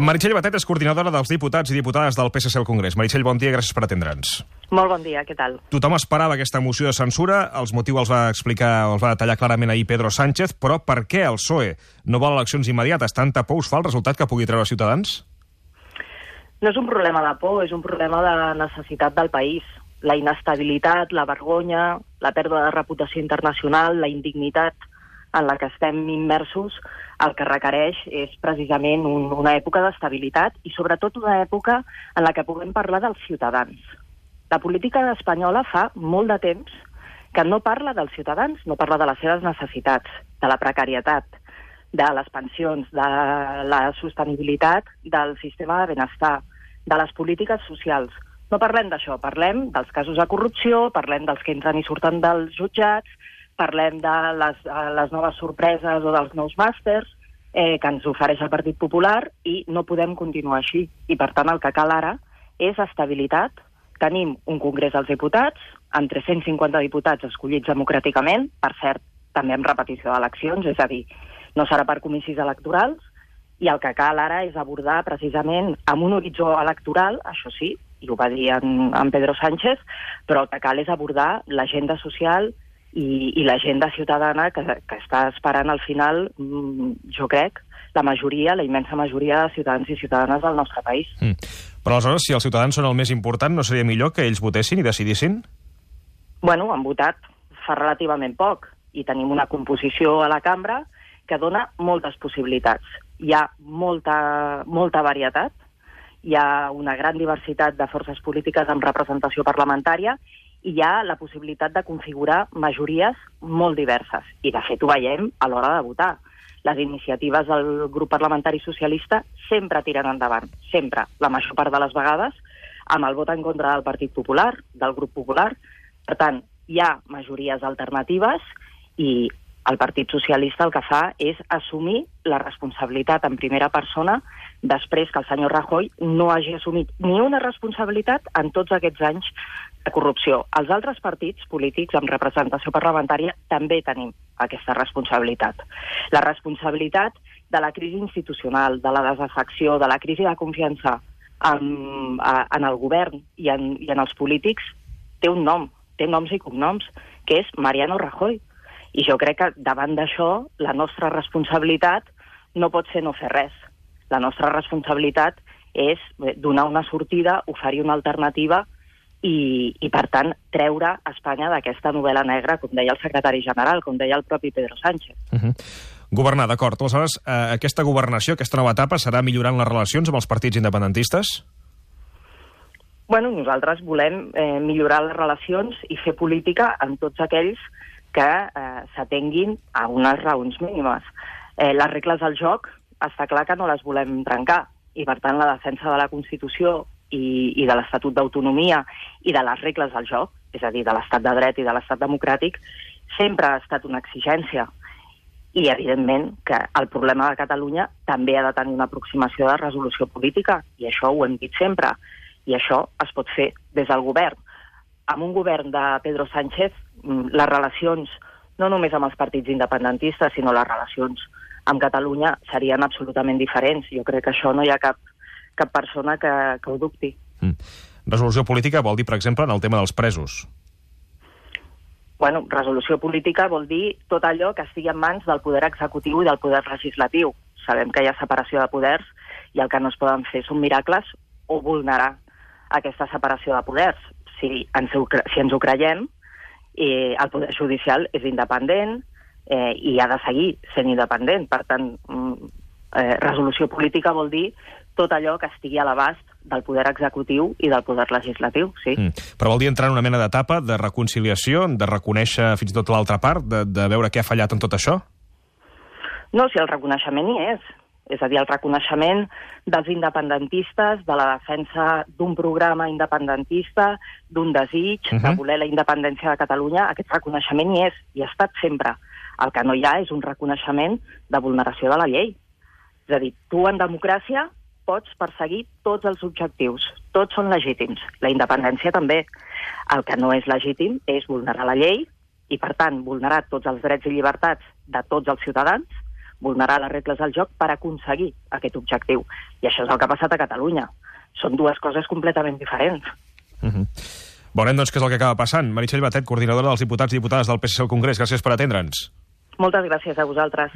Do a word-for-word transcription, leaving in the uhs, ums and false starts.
Meritxell Batet és coordinadora dels diputats i diputades del P S C al Congrés. Meritxell, bon dia, gràcies per atendre'ns. Molt bon dia, què tal? Tothom esperava aquesta moció de censura, els motius els va explicar, els va detallar clarament ahir Pedro Sánchez, però per què el P S O E no vol eleccions immediates? Tanta por us fa el resultat que pugui treure Ciutadans? No és un problema de por, és un problema de necessitat del país. La inestabilitat, la vergonya, la pèrdua de reputació internacional, la indignitat en la que estem immersos, el que requereix és precisament un, una època d'estabilitat i sobretot una època en la que puguem parlar dels ciutadans. La política espanyola fa molt de temps que no parla dels ciutadans, no parla de les seves necessitats, de la precarietat, de les pensions, de la sostenibilitat del sistema de benestar, de les polítiques socials. No parlem d'això, parlem dels casos de corrupció, parlem dels que entren i surten dels jutjats, parlem de les, les noves sorpreses o dels nous màsters eh, que ens ofereix el Partit Popular i no podem continuar així. I, per tant, el que cal ara és estabilitat. Tenim un Congrés dels Diputats, amb tres-cents cinquanta diputats escollits democràticament, per cert, també amb repetició d'eleccions, és a dir, no serà per comicis electorals, i el que cal ara és abordar precisament amb un horitzó electoral, això sí, i ho va dir en, en Pedro Sánchez, però el que cal és abordar l'agenda social i, i l'agenda ciutadana que, que està esperant al final, jo crec, la majoria, la immensa majoria de ciutadans i ciutadanes del nostre país. Mm. Però aleshores, si els ciutadans són el més important, no seria millor que ells votessin i decidissin? Bueno, han votat fa relativament poc i tenim una composició a la cambra que dona moltes possibilitats. Hi ha molta, molta varietat, hi ha una gran diversitat de forces polítiques amb representació parlamentària i hi ha la possibilitat de configurar majories molt diverses. I, de fet, ho veiem a l'hora de votar. Les iniciatives del grup parlamentari socialista sempre tiren endavant, sempre, la major part de les vegades, amb el vot en contra del Partit Popular, del grup popular. Per tant, hi ha majories alternatives i el Partit Socialista el que fa és assumir la responsabilitat en primera persona després que el senyor Rajoy no hagi assumit ni una responsabilitat en tots aquests anys de corrupció. Els altres partits polítics amb representació parlamentària també tenim aquesta responsabilitat. La responsabilitat de la crisi institucional, de la desafecció, de la crisi de confiança en, en el govern i en, i en els polítics té un nom, té noms i cognoms, que és Mariano Rajoy. I jo crec que davant d'això la nostra responsabilitat no pot ser no fer res. La nostra responsabilitat és donar una sortida, oferir una alternativa i, i per tant, treure Espanya d'aquesta novel·la negra, com deia el secretari general, com deia el propi Pedro Sánchez. Uh-huh. Governar, d'acord. Aleshores, eh, aquesta governació, aquesta nova etapa, serà millorant les relacions amb els partits independentistes? Bueno, nosaltres volem eh, millorar les relacions i fer política amb tots aquells que eh, s'atenguin a unes raons mínimes. Eh, les regles del joc està clar que no les volem trencar i, per tant, la defensa de la Constitució i, i de l'Estatut d'Autonomia i de les regles del joc, és a dir, de l'estat de dret i de l'estat democràtic, sempre ha estat una exigència. I, evidentment, que el problema de Catalunya també ha de tenir una aproximació de resolució política, i això ho hem dit sempre, i això es pot fer des del govern. Amb un govern de Pedro Sánchez, les relacions, no només amb els partits independentistes, sinó les relacions amb Catalunya serien absolutament diferents. Jo crec que això no hi ha cap, cap persona que, que ho dubti. Mm. Resolució política vol dir, per exemple, en el tema dels presos? Bueno, resolució política vol dir tot allò que estigui en mans del poder executiu i del poder legislatiu. Sabem que hi ha separació de poders i el que no es poden fer són miracles o vulnerar aquesta separació de poders. Si ens ho, si ens ho creiem, eh, el poder judicial és independent eh, i ha de seguir sent independent. Per tant, eh, resolució política vol dir tot allò que estigui a l'abast del poder executiu i del poder legislatiu, sí. Mm. Però vol dir entrar en una mena d'etapa de reconciliació, de reconèixer fins i tot l'altra part, de, de veure què ha fallat en tot això? No, si el reconeixement hi és. És a dir, el reconeixement dels independentistes, de la defensa d'un programa independentista, d'un desig, uh-huh. de voler la independència de Catalunya, aquest reconeixement hi és, i ha estat sempre. El que no hi ha és un reconeixement de vulneració de la llei. És a dir, tu en democràcia pots perseguir tots els objectius, tots són legítims, la independència també. El que no és legítim és vulnerar la llei i, per tant, vulnerar tots els drets i llibertats de tots els ciutadans, vulnerar les regles del joc per aconseguir aquest objectiu. I això és el que ha passat a Catalunya. Són dues coses completament diferents. Uh-huh. Veurem, doncs, què és el que acaba passant. Meritxell Batet, coordinadora dels diputats i diputades del P S C al Congrés. Gràcies per atendre'ns. Moltes gràcies a vosaltres.